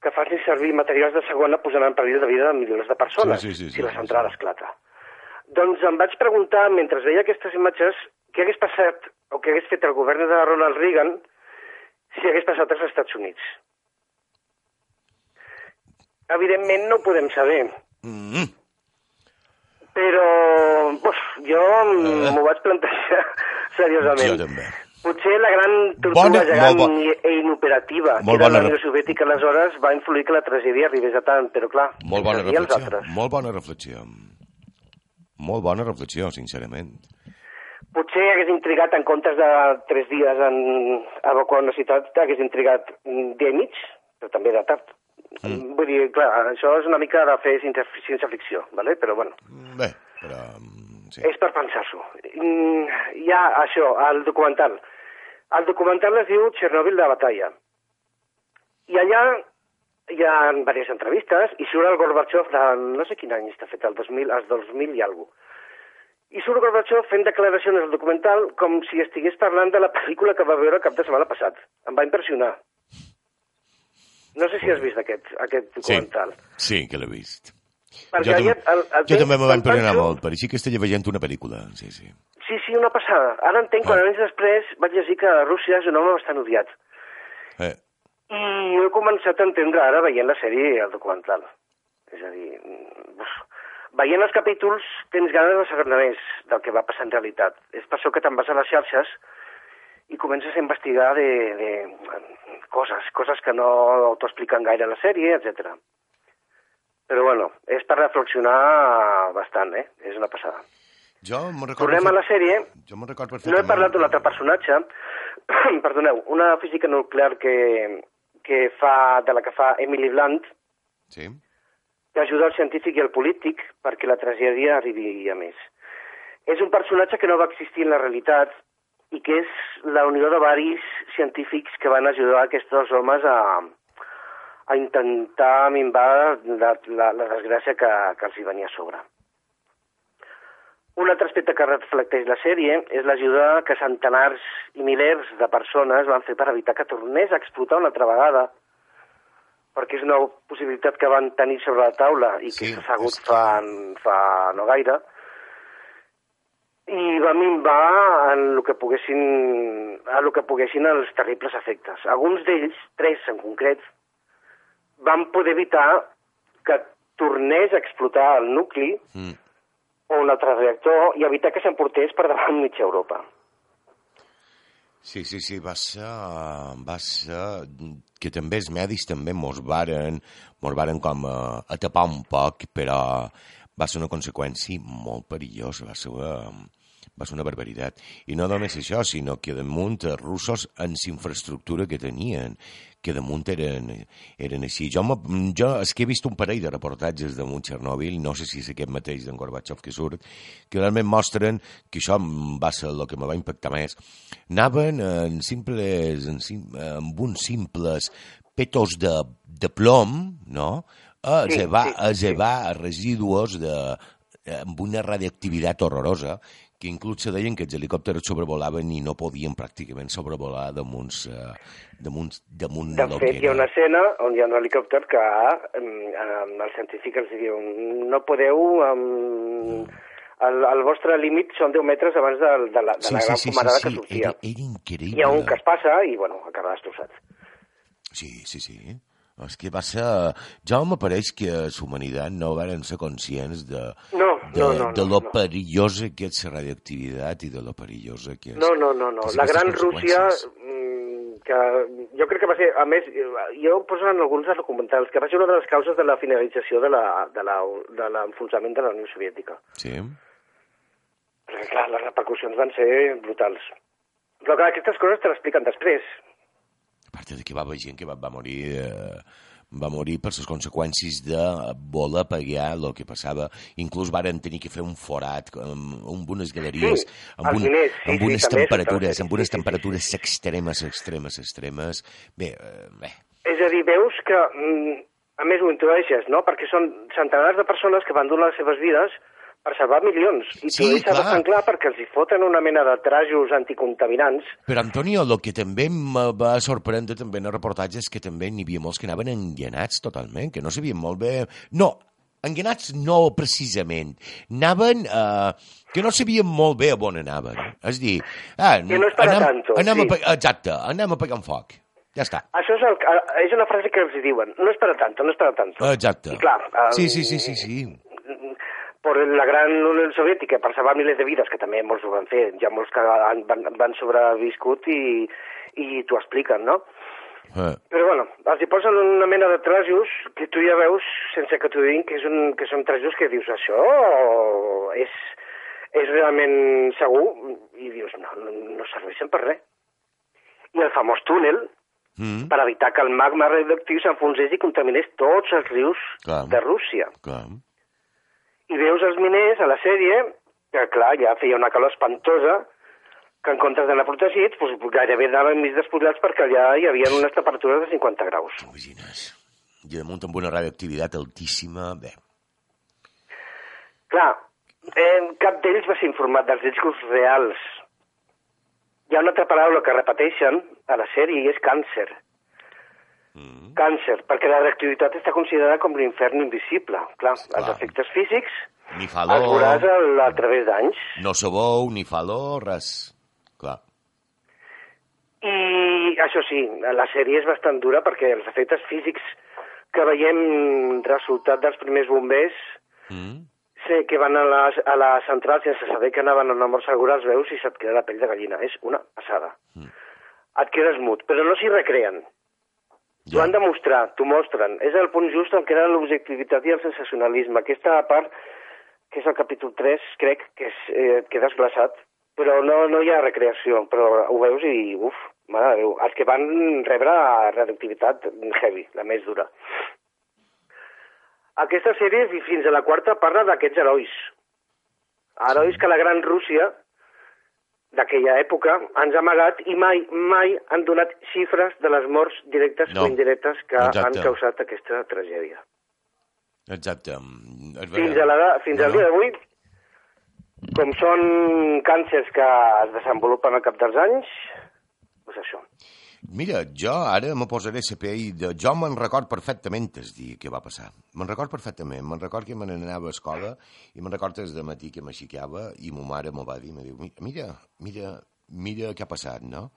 que facin servir materials de segona posant en perill de vida de milions de persones sí, sí, sí, si la sí, central sí. esclata. Doncs em vaig preguntar, mentre veia aquestes imatges, què hagués passat o què hagués fet el govern de Ronald Reagan si hagués passat als Estats Units. Evidentment no ho podem saber. Mm-hmm. Però uf, jo uh, m'ho vaig plantejar seriosament. Jo també. Potser la gran tortuga gegant bon. i inoperativa molt que era la Unió re... Soviètica aleshores va influir que la tragèdia arribés a tant, però clar, molt bona reflexió. Molt bona reflexió. Molt bona reflexió, sincerament. Potser hagués intrigat, en comptes de tres dies en evacuar una ciutat, hagués intrigat un dia i mig, però també de tard. Mm. Vull dir, clar, això és una mica de fer ciència-ficció, ¿vale? Però bueno. Bé, però... Sí. És per pensar-s'ho. Hi ha això, el documental. El documental es diu Chernobyl de batalla. I allà hi ha diverses entrevistes i surt el Gorbachev de no sé quin any està fet, el dos mil, el dos mil i alguna cosa. I surt Gorbachev fent declaracions al documental com si estigués parlant de la pel·lícula que va veure el cap de setmana passat. Em va impressionar. No sé si has vist aquest, aquest documental. Sí, sí que l'he vist. Perquè jo allà, el, el jo també me va impressionar molt, per així que estic veient una pel·lícula. Sí, sí. Sí, sí, una passada. Ara entenc, ah. quan anys després vaig llegir que Rússia és un home bastant odiat. Eh. I jo he començat a entendre ara veient la sèrie i el documental. És a dir, uf, veient els capítols tens ganes de saber més del que va passar en realitat. És per això que te'n vas a les xarxes i comences a investigar de, de coses, coses que no t'ho expliquen gaire a la sèrie, etcètera. Però bueno, és per reflexionar bastant, eh? És una passada. Jo me'n recordo... Tornem a la sèrie. Jo me'n recordo perfectament. No he parlat d'un altre personatge. Perdoneu, una física nuclear que, que fa, de la que fa Emily Blunt, sí. que ajuda el científic i el polític perquè la tragèdia arribi a més. És un personatge que no va existir en la realitat i que és la unió de varis científics que van ajudar aquests homes a, a intentar minvar la, la, la desgràcia que, que els hi venia a sobre. Un altre aspecte que reflecteix la sèrie és l'ajuda que centenars i milers de persones van fer per evitar que tornés a explotar una altra vegada, perquè és una possibilitat que van tenir sobre la taula i que s'ha sabut que... fa, fa no gaire, i va minvar en el que poguessin, en el que poguessin els terribles efectes. Alguns d'ells, tres en concret, van poder evitar que tornés a explotar el nucli mm. o un altre reactor i evitar que s'emportés per davant mitja Europa. Sí, sí, sí, va ser, va ser que també els medis també mos varen, mos varen com a, a tapar un poc, però va ser una conseqüència molt perillosa, va ser una, va ser una barbaritat. I no només això, sinó que damunt els russos en la infraestructura que tenien, que damunt eren, eren així. Jo, jo és que he vist un parell de reportatges damunt Chernobyl, no sé si és aquest mateix d'en Gorbachev que surt, que realment mostren que això va ser el que me va impactar més. Anaven en simples, en, amb uns simples petos de, de plom, no?, a zebar, a zebar residus de, amb una radioactivitat horrorosa que inclús se deien que els helicòpters sobrevolaven i no podien pràcticament sobrevolar damunt, uh, damunt, damunt de lo fet, que hi ha era. una escena on hi ha un helicòpter que um, el científic els diu no podeu... Um, el, el vostre límit són deu metres abans de, de la, de sí, la gran sí, sí, fumarada sí, que sí. sortia. Era, era increïble. Hi ha un que es passa i, bueno, acaba destrossat. Sí, sí, sí. És que va ser... Ja m'apareix que la humanitat no varen ser conscients de, no, de, no, no, de lo no. perillosa que és la radioactivitat i de lo perillosa que és... No, no, no, no. La gran Rússia, que jo crec que va ser, a més, jo poso en alguns dels documentals, que va ser una de les causes de la finalització de l'enfonsament de, de, de la Unió Soviètica. Sí. Perquè, clar, les repercussions van ser brutals. Però, clar, aquestes coses te l'expliquen després. A part de que va haver gent que va, va morir... Eh, va morir per les conseqüències de voler pagar el que passava. Inclús varen tenir que fer un forat amb, amb unes galeries, sí, amb, un, diners, sí, amb unes sí, temperatures, sí, amb unes sí, temperatures sí, sí. extremes, extremes, extremes. Bé, eh, bé. És a dir, veus que, a més ho intueixes, no? Perquè són centenars de persones que van donar les seves vides per salvar milions. I sí, tu deixes bastant clar perquè els hi foten una mena de trajos anticontaminants. Però, Antonio, el que també em va sorprendre també en el reportatge és que també n'hi havia molts que anaven enganats totalment, que no sabien molt bé... No, enganats no precisament. Anaven... Eh, que no sabien molt bé on anaven. És dir... Ah, que no és per anem, a tanto. Anem sí. a, exacte, anem a pegar un foc. Ja està. Això és, el, és una frase que els diuen. No és per a tanto, no és per a tanto. Exacte. I clar... Um, sí, sí, sí, sí, sí. Per la gran Unió Soviètica, per salvar milers de vides, que també molts ho van fer, hi ha molts que han, van, van sobreviscut i, i t'ho expliquen, no? Eh. Però, bueno, els hi posen una mena de trajos que tu ja veus, sense que t'ho diguin, que, és un, que són trajos que dius, això és, és realment segur? I dius, no, no, no serveixen per res. I el famós túnel, mm. per evitar que el magma radioactiu s'enfonsés i contaminés tots els rius Clar. de Rússia. Clar. I veus els miners a la sèrie, que clar, ja feia una calor espantosa, que en comptes d'anar protegits, doncs, gairebé anaven mig despullats perquè allà hi havia unes temperatures de cinquanta graus. Imagines. I damunt amb una radioactivitat altíssima, bé. Clar, eh, cap d'ells va ser informat dels riscos reals. Hi ha una altra paraula que repeteixen a la sèrie i és càncer. Mm. Càncer, perquè la radioactivitat està considerada com l'infern invisible. Clar, Clar. els efectes físics ni falor, els veuràs a, a través d'anys. No sabou, ni falor, res. Clar. I això sí, la sèrie és bastant dura perquè els efectes físics que veiem resultat dels primers bombers mm. sé que van a la, a la central sense saber que anaven a una mort segura, els veus i se't queda la pell de gallina. És una passada. Mm. Et quedes mut, però no s'hi recreen. T'ho ja. han de mostrar, t'ho mostren. És el punt just en què era l'objectivitat i el sensacionalisme. Aquesta part, que és el capítol tres, crec que és, eh, quedes glaçat, però no, no hi ha recreació, però ho veus i, uf, mare de Déu, els que van rebre radioactivitat heavy, la més dura. Aquesta sèrie, fins a la quarta, parla d'aquests herois. Herois que la gran Rússia d'aquella època ens ha amagat i mai, mai han donat xifres de les morts directes no. o indirectes que Exacte. han causat aquesta tragèdia. Exacte. Fins, a la, fins no. al dia d'avui, com són càncers que es desenvolupen al cap dels anys, doncs això. Mira, jo ara me posaré a pell de... Jo me'n record perfectament el dia que va passar. Me'n record perfectament. Me'n record que me n'anava a escola i me'n record des de matí que m'aixicava i ma mare me va dir, me diu, mira, mira, mira què ha passat, no?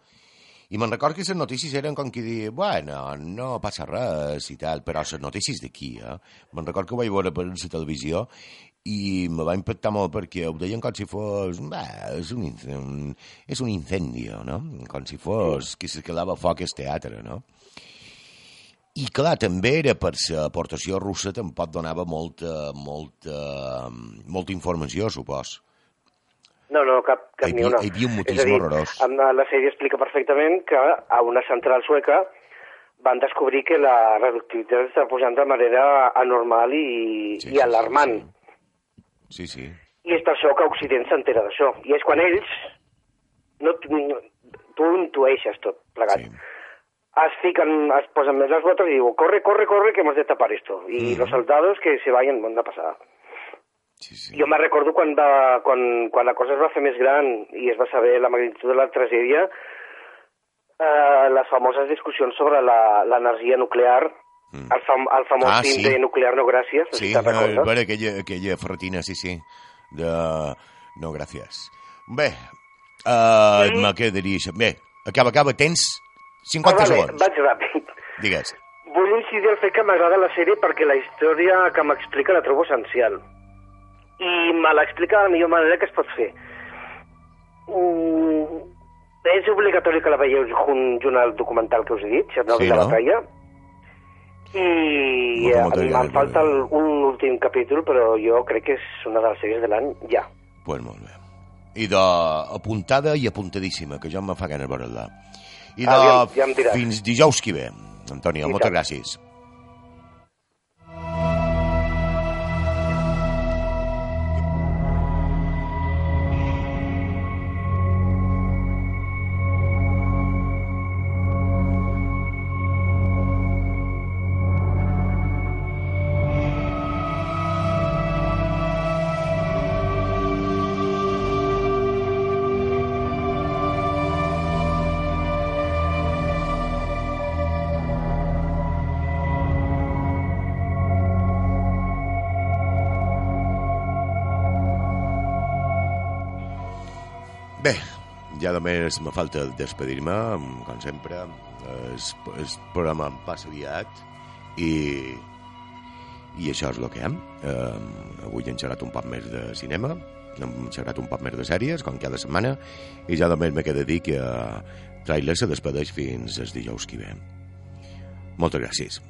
I me'n record que les notícies eren com que dir, bueno, no passa res i tal, però les notícies d'aquí, eh? Me'n record que ho vaig veure per la televisió i me va impactar molt perquè ho deien com si fos... Bé, és un, un, és un incendio, no? Com si fos que se quedava foc al teatre, no? I clar, també era per l'aportació russa, tampoc donava molta, molta, molta informació, supos. No, no, cap, cap hi ni una. Hi havia un motisme horrorós. La sèrie explica perfectament que a una central sueca van descobrir que la radioactivitat està pujant de manera anormal i, sí, i alarmant. Sí, sí. Sí, sí. I és per això que Occident s'entera d'això. I és quan ells, no, tu intueixes tot plegat, sí. es fiquen, es posen més les botes i diuen, corre, corre, corre, que hemos de tapar esto. Y mm-hmm. los soldados que se vayan, bona passada. Sí, sí. Jo me recordo quan, va, quan, quan la cosa es va fer més gran i es va saber la magnitud de la tragèdia, eh, les famoses discussions sobre l'energia nuclear, mm. el, fam, el famós ah, film sí. de Nuclear no gràcies, no sí, si te'n recordes. Sí, aquella, aquella ferrotina, sí, sí, de no gràcies. Bé, uh, sí. me quedaria això. Bé, acaba, acaba, tens cinquanta ah, vale, segons. Vaig ràpid. Digues. Vull incidir el fet que m'agrada la sèrie perquè la història que m'explica la trobo essencial. I me l'explica de la millor manera que es pot fer. Mm, és obligatori que la veieu junt, junt al documental que us he dit, Chernobyl sí, no? de Batalla. I a mi me'n falta el, un últim capítol, però jo crec que és una de les sèries de l'any ja. Pues molt bé. I d'apuntada i apuntadíssima, que ja em fa ganes de veure-la. I de ah, ja, ja fins dijous que ve. Antonio, moltes gràcies. Bé, ja només me falta despedir-me, com sempre. El, el programa em passa aviat i, i això és el que hem. Eh, avui hem xerrat un poc més de cinema, hem xerrat un poc més de sèries, com cada setmana, i ja només me queda dir que Trailer se despedeix fins el dijous que ve. Moltes gràcies.